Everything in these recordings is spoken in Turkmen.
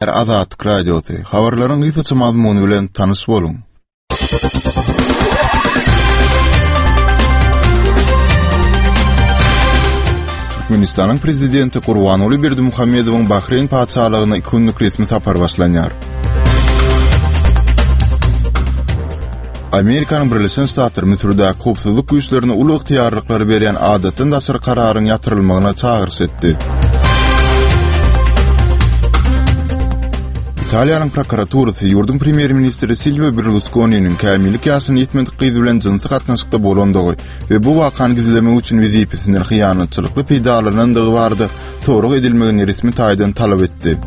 Azatlyk Radiosy, habarlaryň gysgaça mazmuny bilen tanyş boluň. Türkmenistanyň Prezidenti Gurbanguly Berdimuhamedowyň Bahreýn Patyşalygyna iki günlük resmi sapary başlanýar. Amerikanyň Birleşen Ştatlary Müsürdäki howpsuzlyk güýçlerine uly ygtyýarlyklary berýän adatdan daşary kararyň ýatyrylmagyna çagyryş etdi. Italiýanyň prokuraturasy ýurduň premýer-ministri Silwio Berluskoniniň kämillik ýaşyna ýetmedik gyz bilen jynsy gatnaşykda bolandygy we bu wakany gizlemek üçin wezipesinden hyýanatçylykly peýdalanandygy barada sorag edilmegini resmi taýdan talap etdi.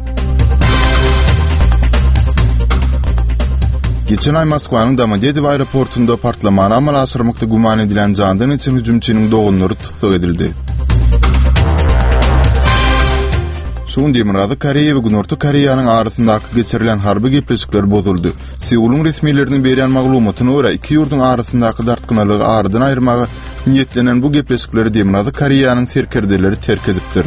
Geçen aý Moskwanyň Domodedowo aeroportunda partlamany amala aşyrmakda güman edilýän jandan geçen hüjümçiniň doganlary tussag edildi. Şu gün Demirgazyk Koreýa we Günorta Koreýanyň arasyndaky geçirilen harby gepleşikler bozuldy. Seulyň resmileriniň berýän maglumatyna görä, iki ýurduň arasyndaky dartgynlygy aradan aýyrmaga niýetlenen bu gepleşikleri Demirgazyk Koreýanyň serkerdeleri terk edipdir.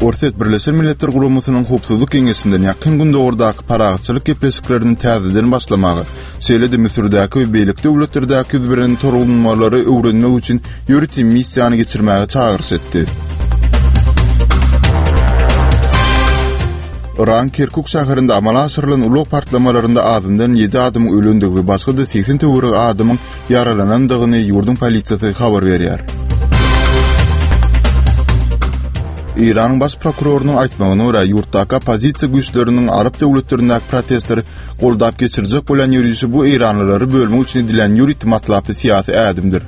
Orsýet Birleşen Milletler Guramasynyň Howpsuzlyk Geňeşinden Ýakyn Gündogardaky parahatçylyk gepleşiklerini täzeden başlamaga, şeýle-de Müsürdäki we beýleki döwletlerdäki ýüz beren tolgunmalary öwrenmek üçin ýörite missiýany geçirmäge çagyryş etdi. Yragyň Kerkuk şäherinde amala aşyrylan ulag partlamalarynda azyndan ýedi adamyň ölendigi we başga-da 80 töweregi adamyň ýaralanandygyny ýurduň polisiýasy habar berýär. Eýranyň baş prokurorynyň aýtmagyna görä, ýurtdaky oppozisiýa güýçleriniň arap döwletlerindäki protestleri goldap geçirjek bolýan ýörişi bu eýranlylary bölmek üçin edilýän ýörite matlaply syýasy ädimdir.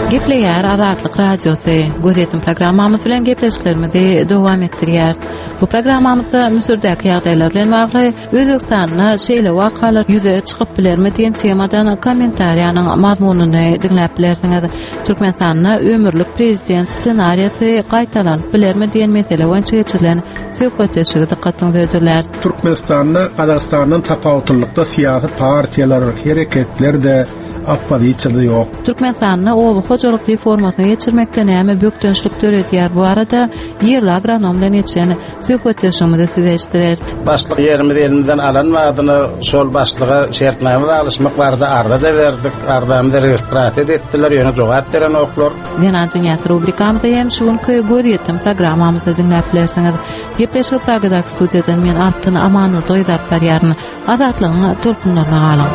Gepleýär Azatlyk Radiosy. Gözýetim programmamyz bilen gepleşiklerimizi dowam etdirýäris. Bu programmamyzda Müsürdäki ýagdaýlar bilen bagly Özbegistanda şeýle wakalar ýüze çykyp bilermi diýen temadan kommentariýanyň mazmunyny diňläp bilersiňiz. Türkmenistanda ömürlik prezident ssenariýasy gaýtalanyp bilermi diýen mesele boýunça geçirilen söhbetdeşligi dykgatyňyza hödürläris. Türkmenistanda Gazagystandan tapawutlylykda syýasy partiýalar, hereketler-de, oppozisiýa-da ýok. Türkmenistanda oba hojalyk reformasyny geçirmekde näme bökdençlik döredýär bu barada ýerli agronom bilen geçiren Söhbetdeşligimizi size eşitdireris. Başlyk ýerimizi elimizden alan badyna şol başlyga şertnama baglaşmak barada arza-da berdik. Arzamyzy registrasiýa-da etdiler, ýöne jogap berenoklar. Zenan dünýäsi rubrikamyzda hem şu günki Gözýetim programmamyzda diňläp bilersiňiz. Gepleşigi Pragadaky studiýadan men Altyn Amanurdyýewa alyp barýaryn. Azatlygyň tolkunlaryna galyň.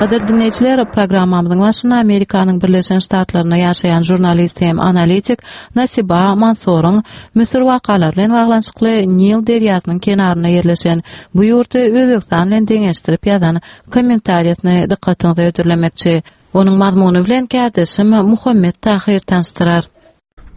Gadyrly diňleýjiler, programmamyzyň başynda Amerikanyň Birleşen Ştatlarynda ýaşaýan žurnalist hem analitik Nasiba Mansoryň Müsür wakalary bilen baglanyşykly Nil derýasynyň kenarynda ýerleşen bu ýurdy Özbegistan bilen deňeşdirip ýazan kommentariýasyny dykgatyňyza hödürlemekçi. Onuň mazmuny bilen kärdeşim Muhammet Tahyr tanyşdyrar.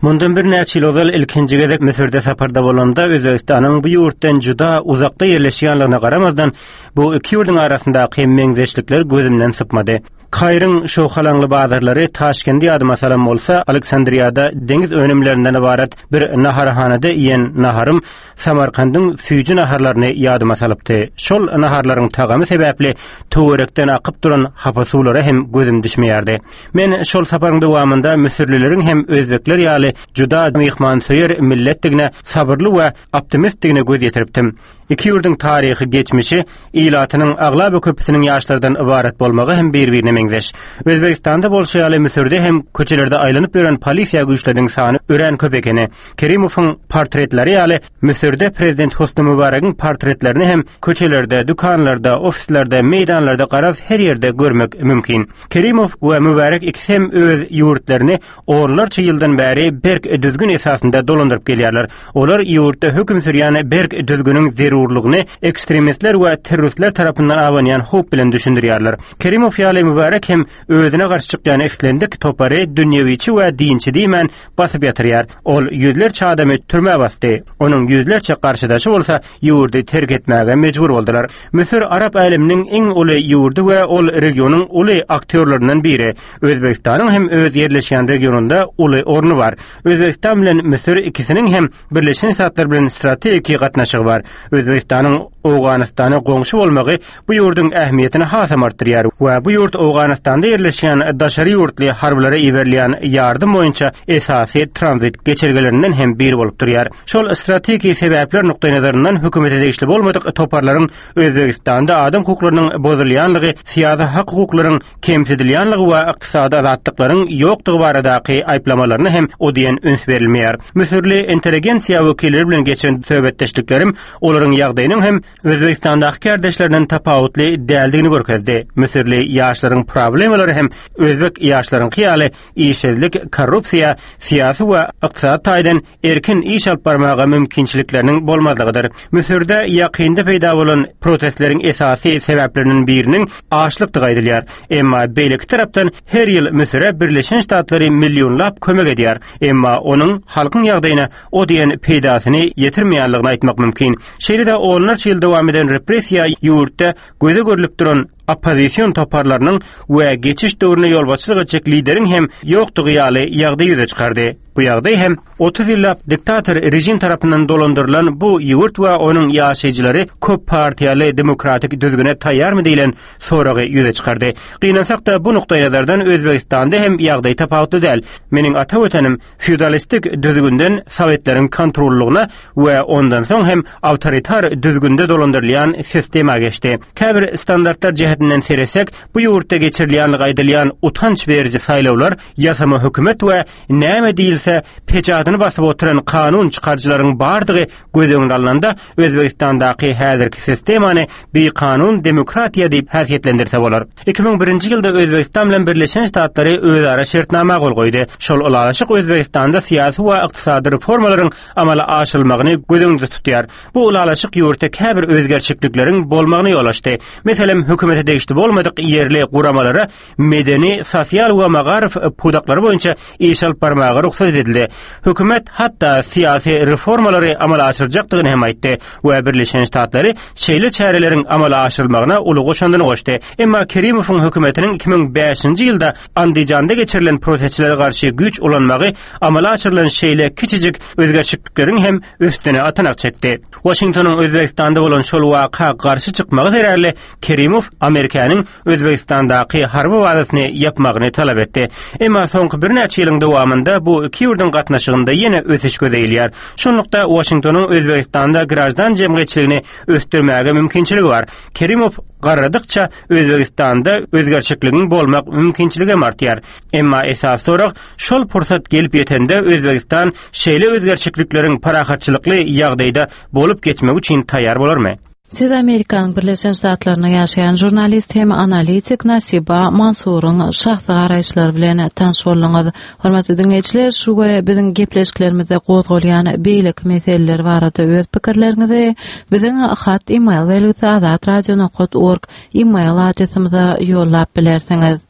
Mundan birnäçe ýyl ozal ilkinji gezek Müsürde saparda bolanda Özbegistanyň bu ýurtdan juda uzakda ýerleşýänligine garamazdan, bu iki ýurduň arasyndaky meňzeşlikler gözümden sypmady. Kairiň şowhalaňly bazarlary Taşkendi ýadyma salan bolsa, Aleksandriýada deňiz önümlerinden ybarat bir naharhanada iýen naharym Samarkandyň süýji naharlaryny ýadyma salypdy. Şol naharlaryň tagamy sebäpli töwerekden akyp duran hapa suwlara hem gözüm düşmeýärdi. Men şol saparyň dowamynda müsürlileriň hem özbekler ýaly juda myhmansöýer milletdigine, sabyrly we optimistdigine göz ýetiripdim. Iki ýurduň taryhy geçmişi, ilatynyň aglaba köpüsiniň ýaşlardan ybarat bolmagy hem bir-birine meňzeş. Özbegistanda bolşy ýaly Müsürde hem köçelerde aýlanyp ýören polisiýa güýçleriniň sany örän köp ekeni. Kerimowyň portretleri ýaly Müsürde prezident Hosni Mübaregiň portretlerini hem köçelerde, dükanlarda, ofislerde, meýdanlarda garaz her ýerde görmek mümkin. Kerimow we Mübarek ikisi hem öz ýurtlaryny onlarça ýyldan bäri berk düzgün esasynda dolandyryp gelýärler. Olar ýurtda höküm sürýän berk düzgüniň zerurlygyny ekstremistler we terroristler tarapyndan abanýan howp bilen düşündirýärler. Kerimow ýaly Mübarek. Mubarek hem özüne garşy çykýan islendik topary dünýewiçi we dinçi diýmän basyp ýatyrýar. Ol ýüzlerçe adamy türmä basdy. Onuň ýüzlerçe garşydaşy bolsa ýurdy terk etmäge mejbur boldular. Müsür arap äleminiň iň uly ýurdy we ol regionyň uly aktýorlaryndan biri. Özbegistanyň hem öz ýerleşýän regionynda uly orny bar. Özbegistan bilen Müsür ikisiniň hem Birleşen Ştatlar bilen strategiki gatnaşygy bar. Özbegistanyň Owganystana goňşy bolmagy bu ýurduň ähmiýetini hasam artdyrýar we bu ýurt Owganystanda ýerleşýän daşary ýurtly harbylara iberilýän ýardym boýunça esasy tranzit geçelgelerinden hem biri bolup durýar. Şol strategiki sebäpler nukdaýnazaryndan hökümete degişli bolmadyk toparlaryň Özbegistanda adam hukuklarynyň bozulýanlygy, syýasy hak-hukuklaryň kemsidilýänligi we ykdysady azatlyklaryň ýokdugy baradaky aýyplamalaryna hem o diýen üns berilmeýär. Müsürli intelligensiýa wekilleri bilen geçiren söhbetdeşliklerim olaryň ýagdaýynyň hem Özbegistandaky kärdeşlerinden tapawutly däldigini görkezdi. Müsürli ýaşlaryň problemalary hem özbek ýaşlaryňky ýaly işsizlik, korrupsiýa, syýasy we ykdysady taýdan erkin iş alyp barmaga mümkinçilikleriniň bolmazlygydyr. Müsürde ýakynda peýda bolan protestleriň esasy sebäpleriniň biriniň açlykdygy aýdylýar. Emma beýleki tarapdan her ýyl Müsüre Birleşen Ştatlary millionlap kömek edýär. Emma onuň halkyň ýagdaýyna o diýen peýdasyny ýetirmeýänligini aýtmak mümkin. Şeýle-de onlarça ýyl dowam eden repressiýa ýurtda göze görlüp duran oppozision toparlarynyň we geçiş döwrüne ýolbaşçylyk etjek lideriň hem ýokdugy ýaly ýagdaý ýüze çykardy. Bu ýagdaý hem 30 ýyllap diktator režim tarapyndan dolandyrylan bu ýurt we onuň ýaşaýjylary köp partiýaly demokratik düzgüne taýýarmy diýlen soragy ýüze çykardy. Gynansak-da, bu nukdaýnazardan Özbegistanda hem ýagdaý tapawutly däl. Meniň ata Watanym feodalistik düzgünden sowetleriň kontrollygyna we ondan soň hem awtoritar düzgünde dolandyrylýan sistema geçdi. Käbir standartlar jähetinden seretsek, bu ýurtda geçirilýänligi aýdylýan utanç beriji saýlawlar ýasama hökümet we näme diýilse peçadyny basyp oturan kanun çykaryjylaryň bardygy göz öňüne alnanda, Özbegistandaky häzirki sistemany bikanun demokratiýa diýip häsiýetlendirse bolar. 2001-nji ýylda Özbegistan bilen Birleşen Ştatlary özara şertnama gol goýdy. Şol ylalaşyk Özbegistanda syýasy we ykdysady reformalaryň amala aşyrylmagyny göz öňünde tutýar. Bu ylalaşyk ýurtda käbir özgerişiklikleriň bolmagyna ýol açdy. Meselem, hökümete degişli bolmadyk ýerli guramalara medeni, sosial we magaryf pudaklary boýunça iş alyp barmaga rugsat edildi. Hökümet hatda syýasy reformalary amala aşyrjakdygyny hem aýtdy we Birleşen Ştatlary şeýle çäreleriň amala aşyrylmagyna uly goşandyny goşdy. Emma Kerimowyň hökümetiniň 2005-nji ýylda Andijanda geçirilen protestçilere garşy güýç ulanmagy amala aşyrylan şeýle kiçijik özgerişiklikleriň hem üstüne atanak çekdi. Waşingtonyň Özbegistanda bolan şol waka garşy çykmagy zerarly Kerimow Amerikanyň Özbegistandaky harby bazasyny ýapmagyny talap etdi. Emma soňky birnäçe ýylyň dowamynda bu iki ýurduň gatnaşygynda ýene ösüş göze ilýär. Şunlukda, Waşingtonyň Özbegistanda graždan jemgyýetçiligini ösdürmäge mümkinçiligi bar. Kerimow garradykça Özbegistanda özgerçikligiň bolmak mümkinçiligi hem artýar. Emma esasy sorag, şol pursat gelip ýetende Özbegistan şeýle özgerçiklikleriň parahatçylykly ýagdaýda bolup geçmegi üçin taýýar bolarmy? Siz Amerikanyň Birleşen Ştatlarynda ýaşaýan žurnalist hem analitik Nasiba Mansuryň şahsy garaýyşlary bilen tanyş bolduňyz. Hormatly diňleýjiler, şu we biziň gepleşiklerimizde gozgalýan beýleki meseleler barada öz pikirleriňizi biziň hat e-mail belgisi azatradio.org e-mail adresimize ýollap bilersiňiz.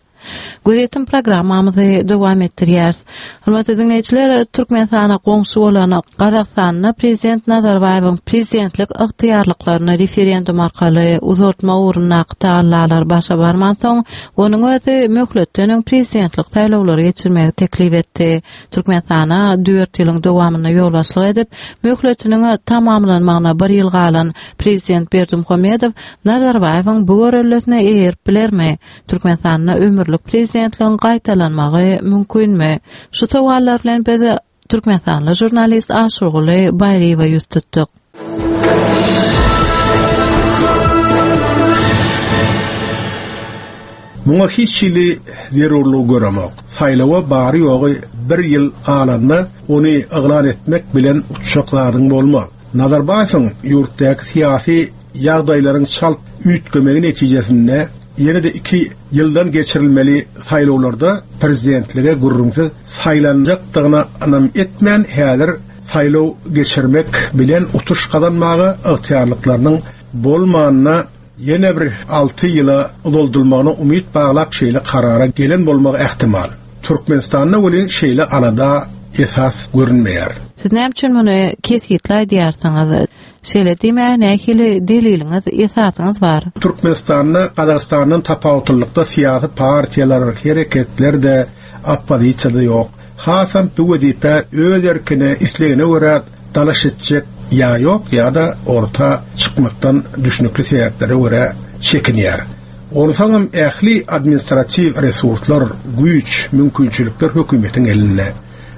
Gözýetim programmamyzy dowam etdirýäris. Hormatly diňleýjiler, Türkmenistana goňşy bolan Gazagystanda prezident Nazarbaýewiň prezidentlik ygtyýarlyklaryny referendum arkaly uzaltmak ugrundaky tagallalar başa barmansoň, onuň özi möhletden öň prezidentlik saýlawlary geçirmegi teklip etdi. Türkmenistana dört ýylyň dowamynda ýolbaşçylyk edip, möhletiniň tamamlanmagyna bir ýyl galan prezident Berdimuhamedow Nazarbaýewiň bu göreldesine eýerip bilermi? Türkmenistanda ömürlik prezidentligiň gaýtalanmagy mümkinmi? Şu sowallar bilen biz türkmenistanly žurnalist Aşyrguly Baýryýewe ýüz tutduk. Muňa hiç hili zerurlygy göremok. Saýlawa bary-ýogy bir ýyl galanda ony yglan etmek bilen utjak zadyň bolmaz. Nazarbaýewiň ýurtdaky syýasy ýagdaýlaryň çalt üýtgemegi netijesinde ýene-de iki ýyldan geçirilmeli saýlawlarda prezidentlige gürrüňsiz saýlanjakdygyna ynam etmän, häzir saýlaw geçirmek bilen utuş gazanmaga ygtyýarlyklarynyň bolmanyna. ýene bir alty ýyla uzaldylmagyna umyt baglap şeýle karara gelen bolmagy ähtimal. Türkmenistanda welin şeýle alada esas görünmeýär. Siz näme üçin muny kesgitli aýdýarsyňyz? Şeýle diýmäge nähili deliliňiz, esasyňyz bar? Türkmenistanda Gazagystandan tapawutlylykda syýasy partiýalar, hereketler-de, oppozisiýa-da ýok. Hasam bu wezipä öz erkine, islegine görä dalaş etjek ýa ýok ýa-da orta çykmakdan düşnükli sebäplere görä çekinýär. Onsoňam ähli administratiw resurslar, güýç, mümkinçilikler hökümetiň elinde.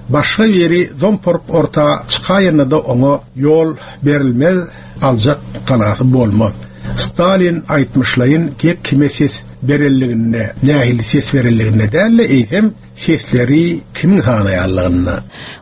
Başga biri zomporyp orta çykaýanda-da oňa ýol berilmez, aljak galasy bolmaz. Stalin aýtmyşlaýyn gep kime ses berenliginde, nähili ses berenliginde däl-de, eýsem, sesleri kimiň sanaýanlygynda.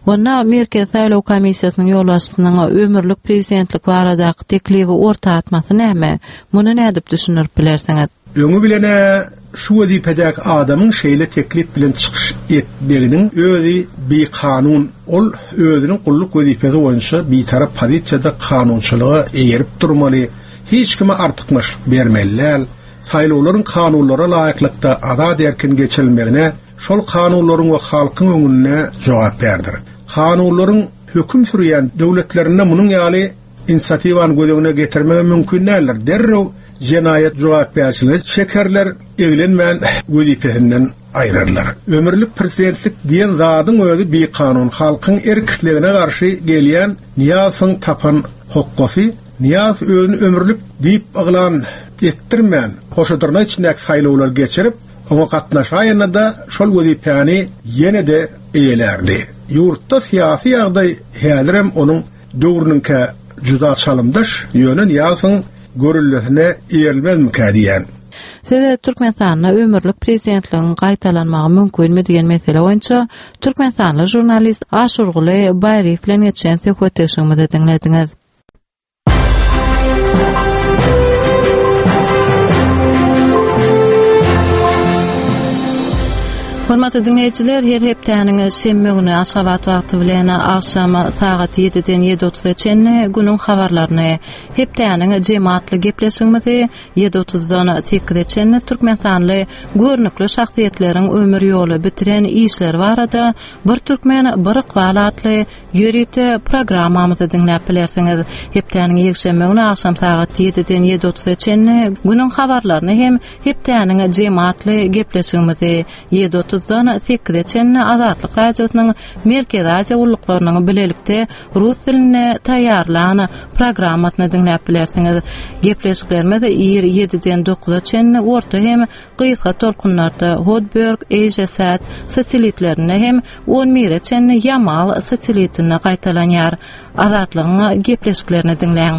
Onda Merkezi saýlaw komissiýasynyň ýolbaşçysynyň ömürlik prezidentlik baradaky teklibi orta atmasy näme? Muny nädip düşündirip bilersiňiz? Öňi bilen-ä şu wezipedäki adamyň şeýle teklip bilen çykyş etmeginiň özi bikanun. Ol özüniň gulluk wezipesi boýunça bitarap pozisiýada kanunçylyga eýerip durmaly, hiç kime artykmaçlyk bermeli däl. Saýlawlaryň kanunlara laýyklykda azat-erkin geçirilmegine şol kanunlaryň we halkyň öňünde jogapkärdir. Kanunlaryň höküm sürýän döwletlerinde munuň ýaly inisiatiwany göz öňüne getirmegem mümkin däldir. Derrew jenaýat jogapkärçiligine çekerler, eglenmän wezipesinden aýrarlar. Ömürlik prezidentlik diýen zadyň özi bikanun, halkyň erk-islegine garşy gelýän Nyýazowyň tapan hokgasy. Nyýazow özüni ömürlik diýip yglan etdirmän, hoşadyrnak içindäki saýlawlary geçirip, oňa gatnaşaýanda-da şol wezipäni ýene-de eýelärdi. Ýurtda syýasy ýagdaý häzirem onuň döwrüniňkä juda çalymdaş, ýöne Nyýazowyň görellesine eýerilmezmikä diýýän. Siz Türkmenistanda ömürlik prezidentligiň gaýtalanmagy mümkinmi diýen mesele boýunça türkmenistanly žurnalist Aşyrguly Baýryýew bilen geçiren söhbetdeşligimizi diňlediňiz. Hormatly diňleýjiler, her hepdäniň şenbe güni Aşgabat wagty bilen agşam sagat 7-den 7:30-a çenli günüň habarlaryny, hepdäniň jemi atly gepleşigimizi ýedi otuzdan sekize çenli türkmenistanly görnükli şahsyýetleriň ömür ýoly, bitiren işleri barada Bir türkmen, bir ykbal atly ýörite programmamyzy diňläp bilersiňiz. Hepdäniň ýekşenbe güni agşam sagat ýediden ýedi otuza çenli günüň habarlaryny hem Hepdäniň jemi atly gepleşigimizi ýedi otuzdan sekize çenli Azatlyk Radiosynyň Merkezi Aziýa gulluklarynyň bilelikde rus dilinde taýýarlan programmasyny diňläp bilersiňiz. Gepleşiklerimiz ir ýediden dokuza çenli orta hem gysga tolkunlarda Hotbird, Asiasat satelitlerinde hem on bire çenli Ýamal satelitinde gaýtalanýar. Azatlygyň gepleşiklerini diňläň.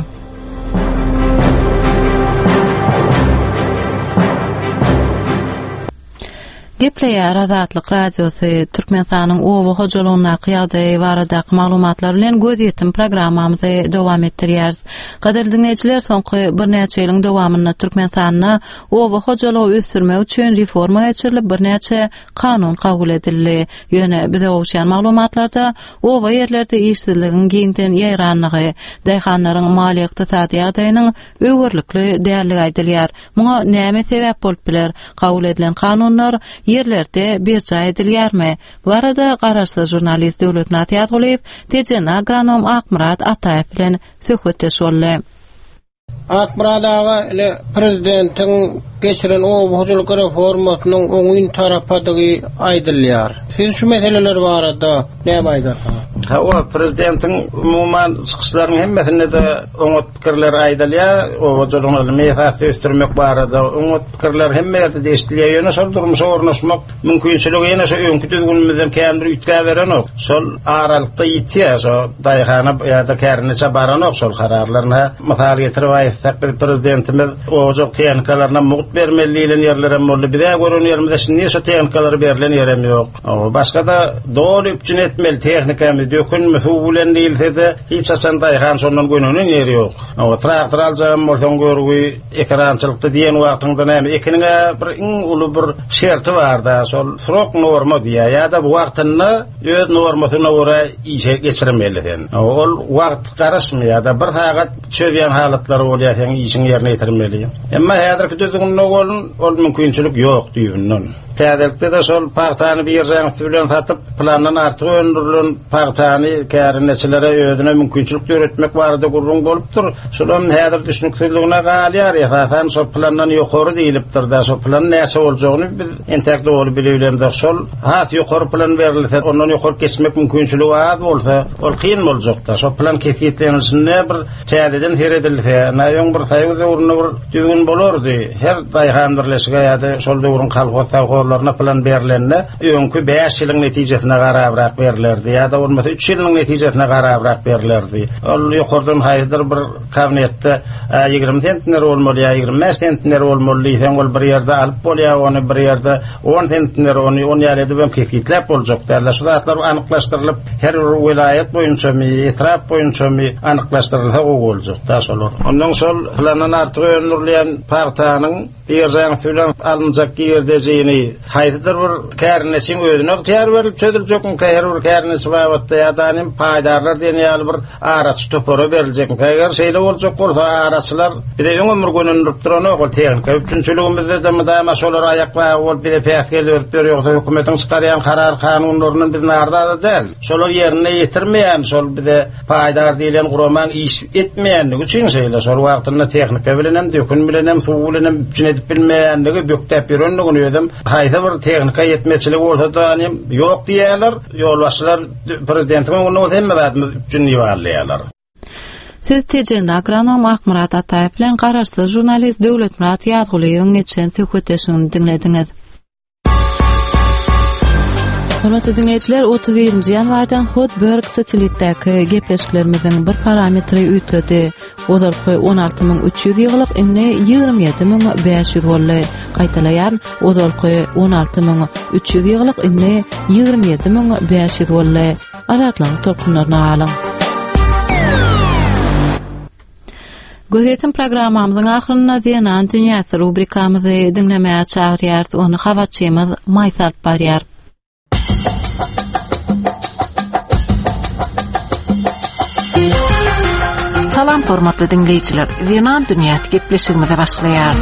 Gepleýär Azatlyk Radiosy, Türkmenistanyň oba hojalygyndaky ýagdaýy baradaky maglumatlar bilen gözýetim programmamyzy dowam etdirýäris. Gadyrly diňleýjiler, soňky birnäçe ýylyň dowamynda Türkmenistanda oba hojalygy ösdürmek üçin reforma geçirilip, birnäçe kanun kabul edildi. Ýöne bize gowuşýan maglumatlarda oba ýerlerde işsizligiň giňden ýaýranlygy, daýhanlaryň maliýe-ykdysady ýagdaýynyň öwerlikli däldigi aýdylýar. Muňa näme sebäp bolup biler? Kabul edilen kanunlar ýerlerde berjaý edilýärmi? Bu barada garaşsyz žurnalist Döwletmyrat Ýazgulyýew tejenli agronom Akmyrat Ataýew bilen söhbetdeş boldy. Akmyrat aga, ine, prezidentiň geçiren oba hojalyk reformasynyň oňyn tarapadygy aýdylýar. Siz şu meseleler barada näme aýdarsyňyz? Hawa, prezidentiň umuman çykyşlarynyň hemmesinde-de oňat pikirler aýdylýar, oba hojalygyny ylmy esasda ösdürmek barada oňat pikirler hemme ýerde-de eşidilýär. Ýöne şol durmuşa ornaşmak mümkinçiligi ýene şo öňki düzgünimizden kän bir üýtgäberenok. Şol aralykda ýitýär, şo daýhana ýa-da kärendeçä baranok şol kararlar. Ynha, mysal getirip aýtsak, biz prezidentimiz oba hojalyk tehnikalaryna mugt bermeli diýlen ýerlerem boldy. Biz-ä gören ýerimizde şindi şo tehnikalar berlen ýerem ýok. Başga-da doly üpjün etmeli tehnikamyzy. dökünmi, suw bilen diýilse-de, hiç haçan daýhan şondan gönenen ýeri ýok. Hawa, traktor aljagam bolsaň görgi, ekerançylykda diýen wagtyňda näme, ekiniň-ä bir iň uly bir şerti bar-da, şol srok norma diýýär, ýa-da wagtynda öz normasyna görä işe geçirmeli sen. Ol wagt garaşmaýar-da, bir sagat çözýän halatlary bolýar seň işiňi ýerine ýetirmeli. Emma häzirki düzgünde bolun, ol mümkinçilik ýok düýbünden. Täzelikde-de şol pagtany biržaň üsti bilen satyp, plandan artyk öndürilen pagtany kärendeçilere özüne mümkinçilik döretmek barada gürrüň bolupdyr. Şolam häzir düşnüksizligine galýar. Esasan şol plandan ýokary diýlipdir-de, şo plan näçe boljagyny biz entäk doly bilibilemzok. Şol has ýokary plan berilse, ondan ýokary geçmek mümkinçiligi az bolsa, ol kyn boljakda. Şo plan kesgitlenilişinde bir täzeden seredilse, na öň bir soýuz döwründe bir düzgün bolardy. Her daýhan birleşige ýa-da şol döwrüň kolhoz, sowhozlaryna plan berlende, öňki bäş ýylyň netijesine garabrak berlerdi ýa-da bolmasa üç ýylyň netijesine garabrak berlerdi. Ol ýokardan haýsydyr bir kabinetde 20 sentner bolmaly ýa 25 sentner bolmaly diýseň, ol bir ýerde alyp bolýar, ony bir ýerde 10 sentner ony on ýaly edip hem kesgitläp boljak däl. Şu zatlar anyklaşdyrylyp, her bir welaýat boýunçamy, etrap boýunçamy anyklaşdyrylsa gowy boljak-da şolar. Ondan şol plandan artyk öndürilýän pagtanyň Biržaň üsti bilen alynjak girdejini haýsydyr bir kärendeçiň özüne ygtyýar berlip çözüljekmikä her bir kärendeçi babatda ýa-da hem paýdarlar diýen ýaly bir araçy topara beriljekmikä? Eger şeýle boljak bolsa araçylar bize öňem bir gönendirip duranok ol tehnika üpjünçiligimizde-de mydama şolar aýak bagy bolup bize päsgel berip ýör ýogsa hökümetiň çykarýan karar kanunlaryndan biz narzada däl. Şolar ýerine ýetirmeýän şol bize Paýdar diýlen guramaň iş etmeýänligi üçin şeýle, şol wagtynda tehnika bilenem, dökün bilenem, suw bilenem üpjün edip bilmeýänligi, bökdäp ýörenligini özem haýsy bir tehnika ýetmezçiligi bolsa-da hem ýok diýýärler. Ýolbaşçylar prezidentiň öňünde bolsa hemme zadymyz üpjün diýip alýarlar. Siz Tejenli agronom Akmyrat Ataýew bilen garaşsyz žurnalist Döwletmyrat Ýazgulyýewiň geçiren söhbetdeşligini diňlediňiz. Hormatly diňleýjiler, 31-nji ýanwardan Hotbird satelitdäki gepleşiklerimiziň bir parametri üýtgedi. Ozalky 16300 ýygylyk indi 27500 boldy. Gaýtalaýaryn, ozalky 16300 ýygylyk indi 27500 boldy. Azatlygyň tolkunlaryna galyň. Gözýetim programmamyzyň ahyrynda Zenan dünýäsi rubrikamyzy diňlemäge çagyrýarys. Ony habarçymyz Maýsa alyp barýar. Salam hormatly diňleýjiler. Zenan dünýäsi gepleşigimize başlaýarys.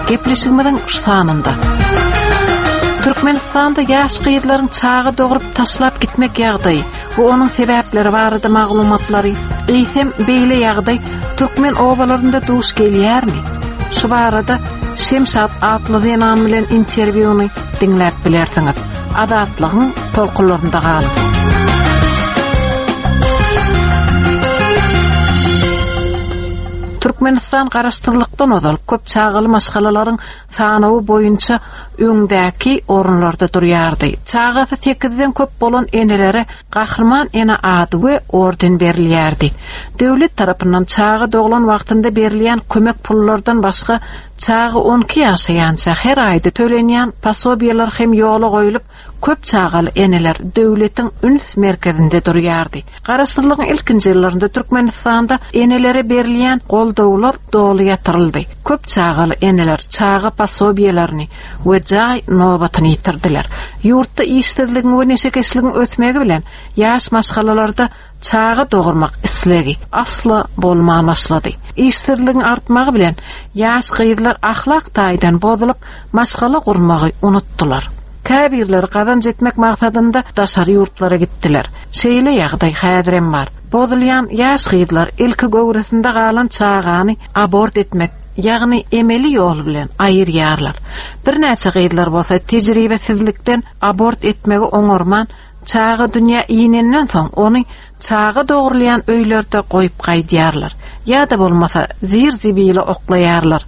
Gepleşigimiziň şu sanynda Türkmenistanda ýaş gyzlaryň çaga dogrup taşlap gitmek ýagdaýy we onuň sebäpleri barada maglumatlary, eýsem beýle ýagdaý türkmen obalarynda duş gelýärmi? Şu barada Şemşat atly zenan bilen interwýuny diňläp bilersiňiz. Azatlygyň tolkunlarynda galyň. Türkmenistan garaşsyzlykdan ozal köp çagaly maşgalalaryň sanawy boýunça öňdäki orunlarda durýardy. Çagasy sekizden köp bolan enelere Gahryman ene ady we orden berilýärdi. Döwlet tarapyndan çaga doglan wagtynda berilýän kömek pullardan başga çaga on iki ýaşaýança her aýda tölenýän posobiýalar hem ýola goýlup, köp çagaly eneler döwletiň üns merkezinde durýardy. Garaşsyzlygyň ilkinji ýyllarynda Türkmenistanda enelere berilýän goldawlar doly ýatyryldy. Köp çagaly eneler çaga posobiýelerini we jaý nobatyny ýitirdiler. Ýurtda işsizligiň we neşekeşligiň ösmegi bilen ýaş maşgalalarda çaga dogurmak islegi asla bolman başlady. Işsizligiň artmagy bilen ýaş gyzlar ahlak taýdan bozulyp, maşgala gurmagy unutdylar. Käbirleri gazanç etmek maksadynda daşary ýurtlara gitdiler. Şeýle ýagdaý häzirem bar. Bozulýan ýaş gyzlar ilki göwresinde galan çagany abort etmek, ýagny emeli ýol bilen aýyrýarlar. Birnäçe gyzlar bolsa tejribesizlikden abort etmegi oňarman, çaga dünýä inenden soň ony çaga dogrulýan öýlerde goýup gaýdýarlar. Ýa-da bolmasa zir-zibile oklaýarlar.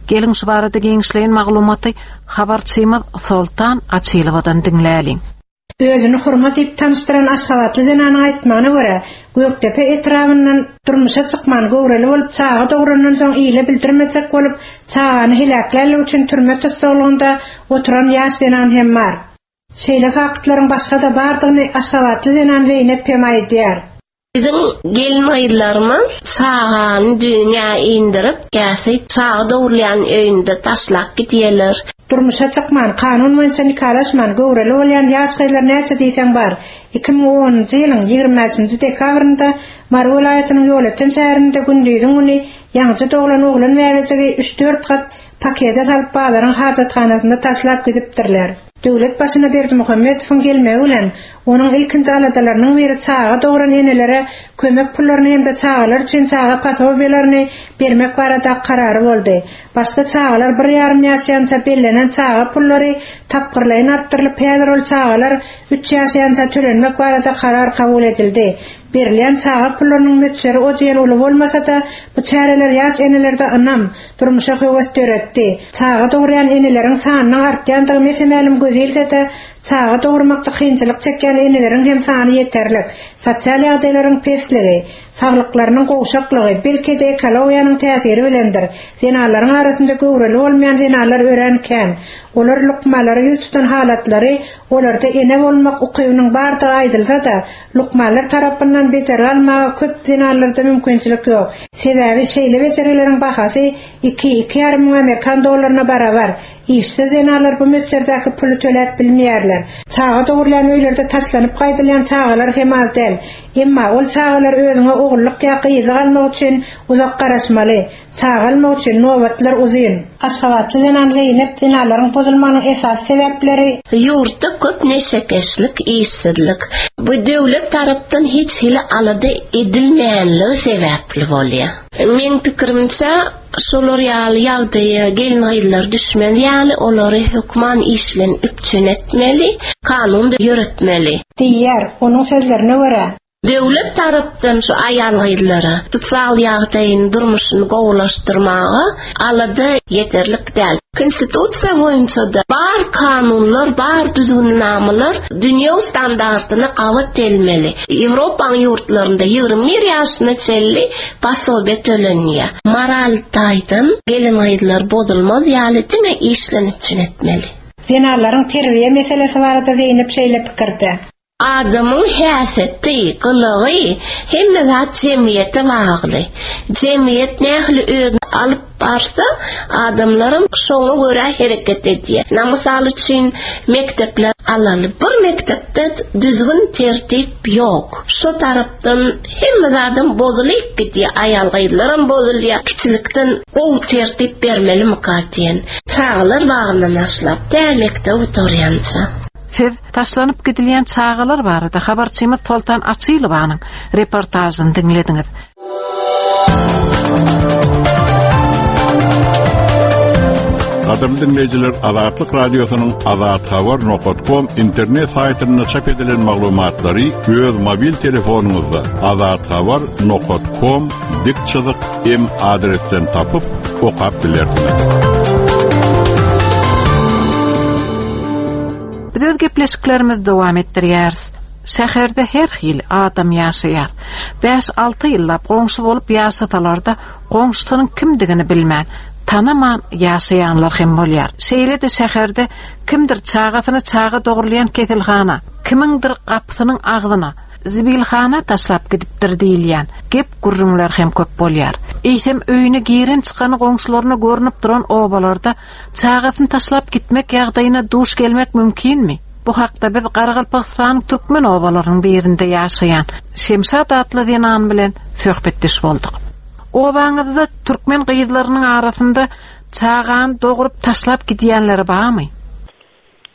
Geliň şu barada giňişleýin maglumaty habarçymyz Soltan Açylowadan diňläliň. Özüni Hurma diýip tanyşdyran aşgabatly zenanyň aýtmagyna görä, Gökdepe etrabyndan durmuşa çykman, göwreli bolup çaga dograndan soň ile bildirmejek bolup, çagany heläklänligi üçin türme tussaglygynda oturan ýaş zenan hem bar. Şeýle faktlaryň başga-da bardygyny aşgabatly zenan Zeýnep hem aýdýar. Biziň gelin-gyzlarymyz çagany dünýä indirip, käsi çaga dogrulýan öýünde taşlap gidýärler. Durmuşa çykman, kanun boýunça nikalaşman, göwreli bolýan ýaş gyzlar näçe diýseň bar. 2010-njy ýylyň 25-nji dekabrynda Mary welaýatynyň Ýolöten şäherinde gündiziň güni ýaňyja doglan oglan bäbejigi üç-dört gat pakete salyp bazaryň hajathanasynda taşlap gidipdirler. Döwlet başyna Berdimuhamedowyň gelmegi bilen, onuň ilkinji aladalarynyň biri çaga dogran enelere kömek pullaryny hem-de çagalar üçin çaga posobiýalaryny bermek baradaky karary boldy. Başda çagalar bir ýarym ýaşaýança bellenen çaga pullary tapgyrlaýyn artdyrylyp, häzir ol çagalar üç ýaşaýança tölenmek barada karar kabul edildi. Berilýän çaga pullarynyň möçberi o diýen uly bolmasa-da, bu çäreler ýaş enelerde ynam, durmuşa höwes döretdi. Çaga dogurýan eneleriň sanynyň artýandygy mese-mälim göz ilse-de, çaga dogurmakda kynçylyk çekýän eneleriň hem sany ýeterlik. Sosial ýagdaýlaryň pesligi, saglyklarynyň gowşaklygy, belki-de ekologiýanyň täsiri bilendir, zenanlaryň arasynda göwreli bolmaýan zenanlar örän kän. Olar lukmanlara ýüz tutan halatlary olarda ene bolmak ukybynyň bardygy aýdylsa-da, Lukmanlar tarapyndan bejergi almaga köp zenanlarda mümkinçilik ýok. Sebäbi şeýle bejergileriň bahasy iki, iki ýarym müň amerikan dollaryna barabar. Işsiz zenanlar bu möçberdäki puly töläp bilmeýärler. Çaga dogrulýan öýlerde taşlanyp gaýdylýan çagalar hem az däl. Emma ol çagalar özüňe ogullyk ýa gyzlyk almak üçin uzak garaşmaly. Çaga almak üçin nobatlar uzyn. Aşgabatly zenan Zeýnep zenanlaryň bozulmagynyň esasy sebäpleri. Ýurtda köp neşekeşlik, işsizlik. Bu döwlet tarapdan hiç hili alada edilmeýänligi sebäpli bolýar. Meň pikirimçe, şolar ýaly ýagdaýa gelin-gyzlar düşmez ýaly olary hökman iş bilen üpjün etmeli, kanun ýöretmeli. Diýýär. Onuň sözlerine görä. Döwlet tarapdan şu aýal-gyzlara sosial ýagdaýyny, durmuşyny gowulaşdyrmaga alada ýeterlik däl. Konstitusiýa boýunça-da bar kanunlar, bar düzgünnamalar dünýewi standartyna gabat gelmeli. Ýewropanyň ýurtlarynda 21 ýaşyna çenli posobiýe tölenýär. Moral taýdan gelin-gyzlar bozulmaz ýaly diňe iş bilen üpjün etmeli. Zenanlaryň terbiýe meselesi barada Zeýnep şeýle pikirde. Adamyň häsiýeti, gylygy, hemme zat jemgyýete bagly. Jemgyýet nähili özüni alyp barsa, adamlaram şoňa görä hereket edýär. Na mysal üçin, mekdepler alaly. Bir mekdepde düzgün tertip ýok. Şo tarapdan hemme zadam bozulyp gidýär. Aýal-gyzlaram bozulýar. Kiçilikden gowy tertip bermelimika diýen. Çagalar bagyndan başlap, tä mekdep gutarýança. Siz taşlanyp gidilýän çagalar barada habarçymyz Soltan Açylowanyň reportažyny diňlediňiz. Gadyrly diňleýjiler, Azatlyk Radiosynyň Azathabar nokat kom internet saýtynda çap edilen maglumatlary öz mobil telefonyňyzda azathabar nokat kom dik çyzyk m adresden tapyp okap bilersiňiz. Biz öz gepleşiklerimizi dowam etdirýäris. Şäherde her hili adam ýaşaýar. Bäş-alty ýyllap goňşy bolup ýaşasalar-da, goňşusynyň kimdigini bilmän, tanaman ýaşaýanlar hem bolýar. Şeýle-de şäherde kimdir çagasyny çaga dogrulýan keselhana, kimiňdir gapysynyň agzyna, zibilhana taşlap gidipdir diýilýän gep-gürrüňler hem köp bolýar. Eýsem, öýüne giren-çykany goňşularyna görnüp duran obalarda Çagasyny taşlap gitmek ýagdaýyna duş gelmek mümkinmi? Bu hakda biz Garagalpagystanyň türkmen obalarynyň birinde ýaşaýan Şemşat atly zenan bilen söhbetdeş bolduk. Obaňyzda türkmen gyzlarynyň arasynda çagany dogrup taşlap gidýänleri barmy?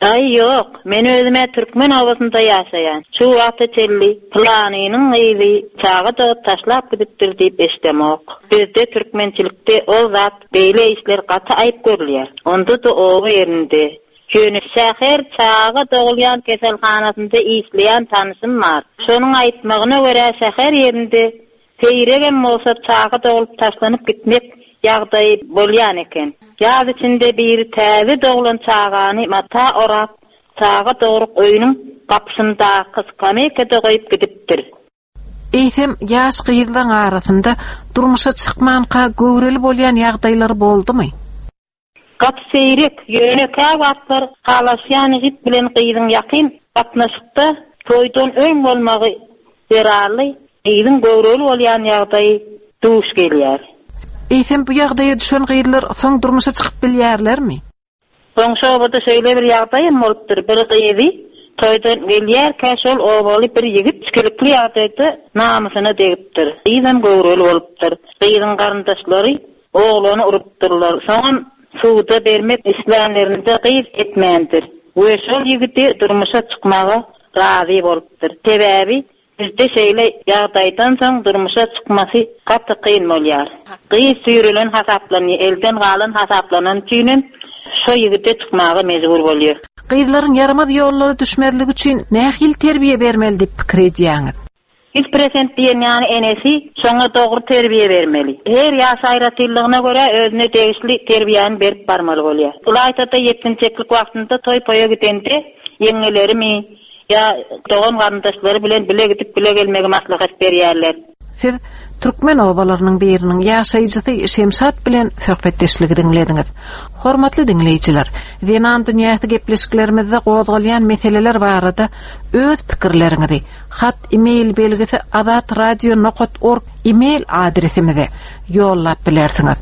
Aý, ýok. Men özüm-ä türkmen obasynda ýaşaýan. Şu wagta çenli pylanynyň gyzy çaga dogup taşlap gidipdir diýip eşidemok. Bizde türkmençilikde ol zat, beýle işler gaty aýyp görülýär. Onda-da oba ýerinde. Ýöne şäher çaga dogulýan keselhanasynda işleýän tanyşym bar. Şonuň aýtmagyna görä şäher ýerinde Seýregem bolsa çaga doglup taşlanyp gitmek ýagdaýy bolýan eken. Ýaz içinde biri täze doglan çagany mata orap, çaga dogruk öýüniň gapysyndaky skameýkada goýup gidipdir. Eýsem, ýaş gyzlaň arasynda durmuşa çykmanka göwreli bolýan ýagdaýlary boldumy? Gaty seýrek, ýöne käwagtlar halaşýan ýigit bilen gyzyň ýakyn gatnaşykda toýdan öň bolmagy zerarly gyzyň göwreli bolýan ýagdaýy duş gelýär. Eýsem bu ýagdaýa düşen gyzlar soň durmuşa çykyp bilýärlermi? Goňşy obada şeýle bir ýagdaýam bolupdyr, bir gyzy toýdan gelýärkä şol obaly bir ýigit içgilikli ýagdaýda namysyna degipdir. Gyzam göwreli bolupdyr. Gyzyň garyndaşlary oglany urupdyrlar. Soňam suda bermek islänlerinde gyz etmändir we şol ýigide durmuşa çykmaga razy bolupdyr. Sebäbi Bizde şeýle ýagdaýdan soň durmuşa çykmasy gaty kyn bolýar. Gyz süýrelen hasaplanýar, elden galan hasaplanany üçinem şo ýigide çykmaga mejbur bolýar. Gyzlaryň ýaramaz ýollara düşmezligi üçin nähili terbiýe bermeli diýip pikir edýäňiz? 100% diýen ýaly enesi şoňa dogry terbiýe bermeli. Her ýaş aýratynlygyna görä özüne degişli terbiýäni berip barmaly bolýar. Ylaýta-da ýetginjeklik wagtynda toý-poýa gidende ýeňňelerimi, Ýa dogan-garyndaşlary bilen bile gidip bile gelmegi maslahat berýärler. Siz türkmen obalarynyň biriniň ýaşaýjysy Şemşat bilen söhbetdeşligi diňlediňiz. Hormatly diňleýjiler, Zenan dünýäsi gepleşiklerimizde gozgalýan meseleler barada öz pikirleriňizi hat e-mail belgisi azatradio nokat org e-mail adresimize ýollap bilersiňiz.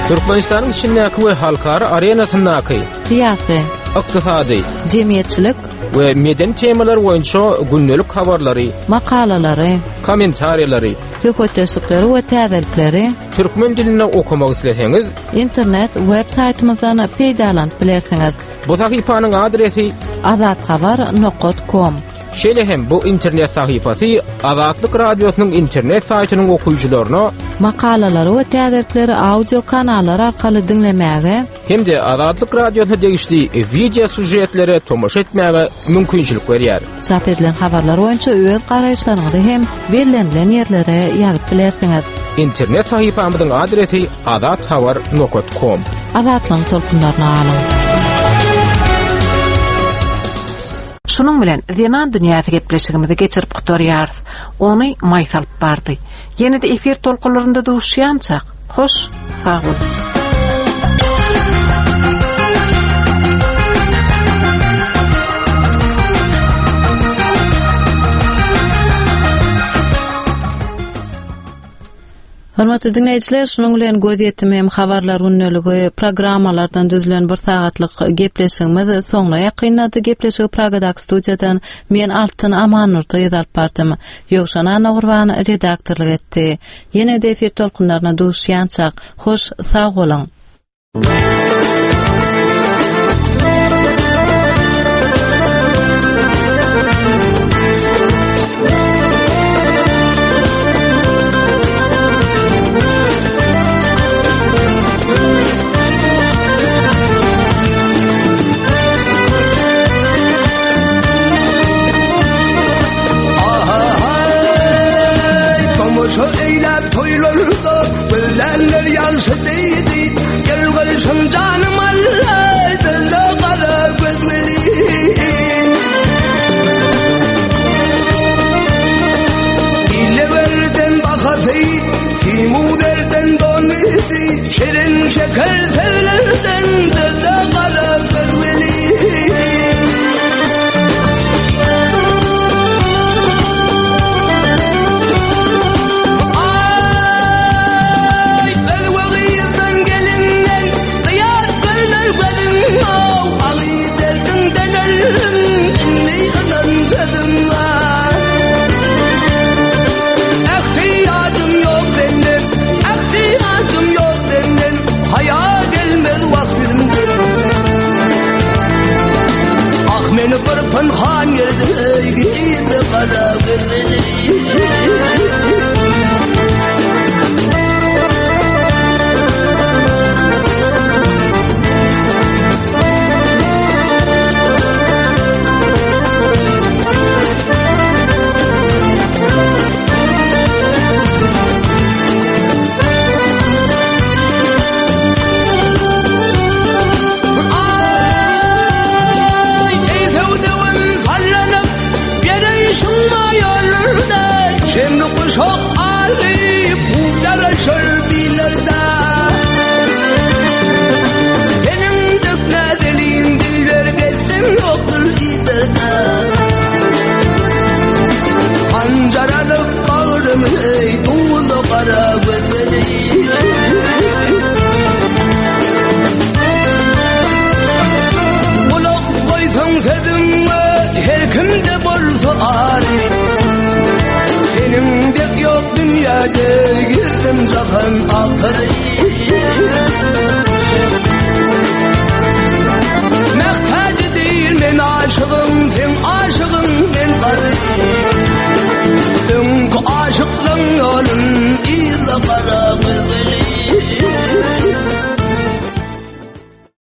Türkmenistanyň içindäki we halkara arenasyndaky syýasy, ykdysady, jemgyýetçilik we medeni temalar boýunça gündelik habarlary, makalalary, kommentariýalary, söhbetdeşlikleri we täzelikleri türkmen dilinde okamak isleseňiz, internet web saýtymyzdan peýdalanyp bilersiňiz. Bu sahypanyň adresi azathabar.com Şeýle hem bu internet sahypasy Azatlyk Radiosynyň internet saýtynyň okyjylaryna makalalary we täzelikleri audio kanallar arkaly diňlemäge hem-de Azatlyk Radiosyna degişli wideo sýužetlere tomaşa etmäge mümkinçilik berýär. Çap edilen habarlar boýunça öz garaýyşlaryňyzy hem bellenilen ýerlere ýazyp bilersiňiz. Internet sahypamyzyň adresi azathabar.com. Azatlygyň tolkunlaryna galyň. Şunuň bilen Zenan dünýäsi gepleşigimizi geçirip gutarýarys. Ony Maýsa alyp bardy. Ýene-de efir tolkunlarynda duşýançak, hoş, sag boluň! Hormatly diňleýjiler, şunuň bilen Gözýetim hem habarlar gündeligi programmalardan düzülen bir sagatlyk gepleşigimiz soňuna ýakynlady. Gepleşigi Pragadaky studiýadan men Altyn Amannurdyýew alyp bardym. Ýowşan Annagurban redaktorlyk etdi. Ýene-de efir tolkunlaryna duşýançak, hoş sag boluň! Tomaşa eýläp toýlarda Gözlänler ýagşy diýdi, Gel garşyň. Aprel.